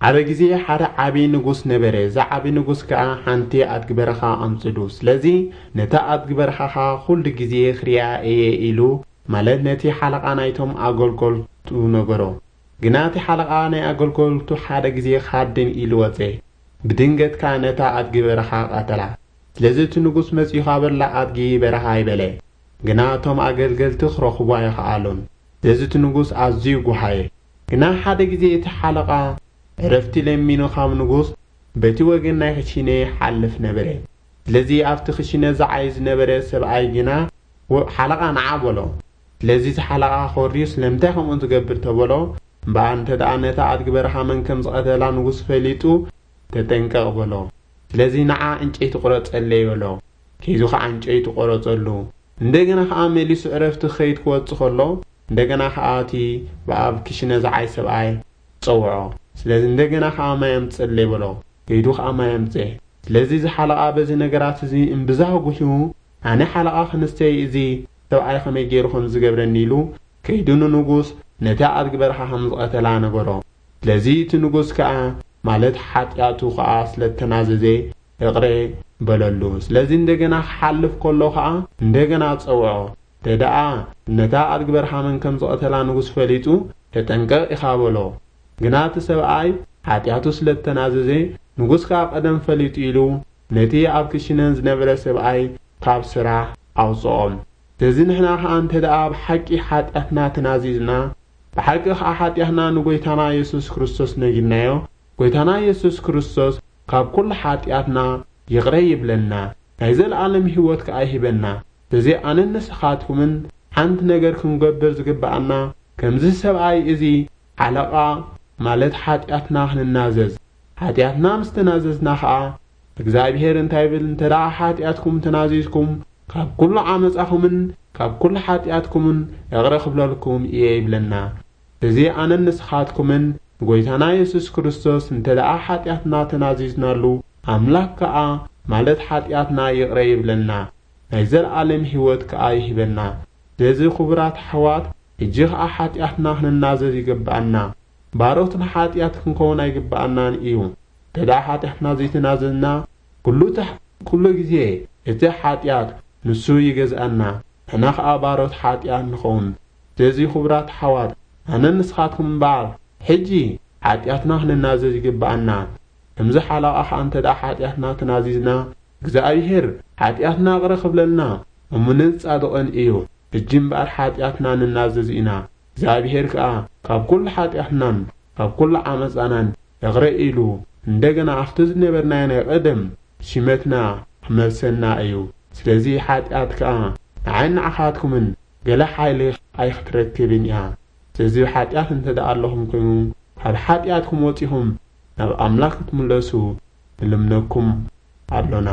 ሓደ ግዜ ሓደ ዓቢ ንጉስ ነበረ። እዚ ዓቢ ንጉስ ከኣ ሓንቲ ኣድጊ በረኻ ኣምጽዱ። ስለዚ ነታ ኣድጊ በረኻ ኸኣ ኩሉ ግዜ ክሪኣ እየ ኢሉ፣ ማለት ነቲ ሓለቓ ናይቶም ኣገልገልቱ ነገሮ። ግና እቲ ሓለቓ ናይ ኣገልገልቱ ሓደ ግዜ ክሃድን ኢሉ ወጸ። ብድንገት ከኣ ነታ ኣድጊ በረኻ ቀተላ። ስለዚ እቲ ንጉስ መጺኡ ኻበላ ኣድጊ በረኻ ኣይበለ። ግና እቶም ኣገልገልቲ ክረኽቡ ኣይኸኣሉን። ስለዚ እቲ ንጉስ ኣዝዩ ጓሃየ። ግና ሓደ ግዜ እቲ ሓለቓ ዕረፍቲ ለሚኑ ካብ ንጉስ በቲ ወገን ናይ ክሽነ ይሓልፍ ነበረ። ስለዚ ኣብቲ ክሽነ ዝዓይ ዝነበረ ሰብኣይ ግና፣ "ወ-፣ ሓለቓ ንዓ" በሎ። ስለዚ እቲ ሓለቓ ኮርዩ፣ "ስለምንታይ ከምኡ ትገብር?" ተበሎ። "እምበኣር እንተ ደኣ ነታ ኣድጊ በረኻ መን ከም ዝቐተላ ንጉስ ፈሊጡ፣ ተጠንቀቕ" በሎ። ስለዚ ንዓ ዕንጨይቲ ቁረጸለይ በሎ። ከይዱ ኸዓ ዕንጨይቲ ቆረጸሉ። እንደገና ኸዓ መሊሱ ዕረፍቲ ክኸይድ ክወጽእ ከሎ፣ እንደገና ኸዓ እቲ ብኣብ ክሽነ ዝዓይ ሰብኣይ ጸውዖ። ስለዚ እንደገና ኸዓ ማይ ኣምጽእለይ በሎ። ከይዱ ኸዓ ማይ ኣምጽኤ። ስለዚ እዚ ሓለቓ በዚ ነገራት እዚ እምብዛ ጉህዩ፣ ኣነ ሓለቓ ክንስተይ እዚ ሰብኣይ ኸመይ ገይሩ ኸም ዝገብረኒ ኢሉ፣ ከይዱ ንንጉስ ነቲ ኣድጊ በረኻ ኸም ዝቐተላ ነገሮ። ስለዚ እቲ ንጉስ ከኣ፣ ማለት ሓጢኣቱ ኸኣ ስለ እተናዘዘ፣ ይቕረ በለሉ። ስለዚ እንደገና ክሓልፍ ከሎ ኸኣ እንደገና ጸውዖ። እንተ ደኣ ነታ ኣድጊ በረኻ መን ከም ዝቐተላ ንጉስ ፈሊጡ፣ "ተጠንቀቕ" ኢኻ በሎ። ግና እቲ ሰብኣይ ሓጢኣቱ ስለ እተናዘዘ፣ ንጉስ ከኣ ቀደም ፈሊጡ ኢሉ፣ ነቲ ኣብ ክሽነን ዝነበረ ሰብኣይ ካብ ስራሕ ኣውጽኦ። ስለዚ ንሕና ኸኣ እንተ ደኣ ብሓቂ ሓጢኣትና ተናዚዝና፣ ብሓቂ ኸኣ ሓጢኣትና ንጐይታና የሱስ ክርስቶስ ነጊርናዮ፣ ጐይታና የሱስ ክርስቶስ ካብ ኵሉ ሓጢኣትና ይቕረ ይብለና፣ ናይ ዘለኣለም ህይወት ከኣ ይህበና። ስለዚ ኣነን ንስኻትኩምን ሓንቲ ነገር ክንገብር ዝግብኣና፣ ከምዚ ሰብኣይ እዚ ሓለቓ፣ ማለት ሓጢኣትና ክንናዘዝ። ሓጢኣትና ምስ ተናዘዝና ኸኣ፣ እግዚኣብሄር እንታይ ይብል? "እንተ ደኣ ሓጢኣትኩም ተናዚዝኩም፣ ካብ ኵሉ ዓመጻኹምን ካብ ኵሉ ሓጢኣትኩምን ይቕረ ክብለልኩም እየ" ይብለና። እዚ ኣነን ንስኻትኩምን ንጐይታና የሱስ ክርስቶስ እንተ ደኣ ሓጢኣትና ተናዚዝናሉ፣ ኣምላኽ ከኣ ማለት ሓጢኣትና ይቕረ ይብለና፣ ናይ ዘለኣለም ህይወት ከኣ ይህበና። ስለዚ ክቡራት ኣሕዋት፣ ሕጂ ኸኣ ሓጢኣትና ክንናዘዝ ይግብኣና። ባሮት ንሓጢኣት ክንከውን ኣይግብኣናን እዩ። እንተ ደኣ ሓጢኣትና ዘይተናዘዝና፣ ኩሉ እቲ፣ ኩሉ ግዜ እቲ ሓጢኣት ንሱ ይገዝኣና፣ ንሕና ኸኣ ባሮት ሓጢኣት ንኸውን። ስለዚ ክቡራት ኣሕዋት፣ ኣነን ንስኻትኩም እምበኣር፣ ሕጂ ሓጢኣትና ክንናዘዝ ይግብኣና። ከምዚ ሓለቓ ኸኣ እንተ ደኣ ሓጢኣትና ተናዚዝና፣ እግዚኣብሄር ሓጢኣትና ይቕረ ክብለልና እሙንን ጻድቕን እዩ። ሕጂ እምበኣር ሓጢኣትና ንናዘዝ ኢና። እግዚኣብሄር ከኣ ካብ ኵሉ ሓጢኣትናን ካብ ኵሉ ዓመጻናን ይቕረ ኢሉ፣ እንደገና ኣብቲ ዝነበርናዮ ናይ ቀደም ሽመትና ክመልሰና እዩ። ስለዚ ሓጢኣት ከኣ ንዓይን ንዓኻትኩምን ገለ ሓይሊ ኣይክትረክብን እያ። ስለዚ ሓጢኣት እንተ ደኣ ኣለኹም ኮይኑ፣ ካብ ሓጢኣትኩም ወጺኹም ናብ ኣምላኽ ክትምለሱ ንልምነኩም ኣሎና።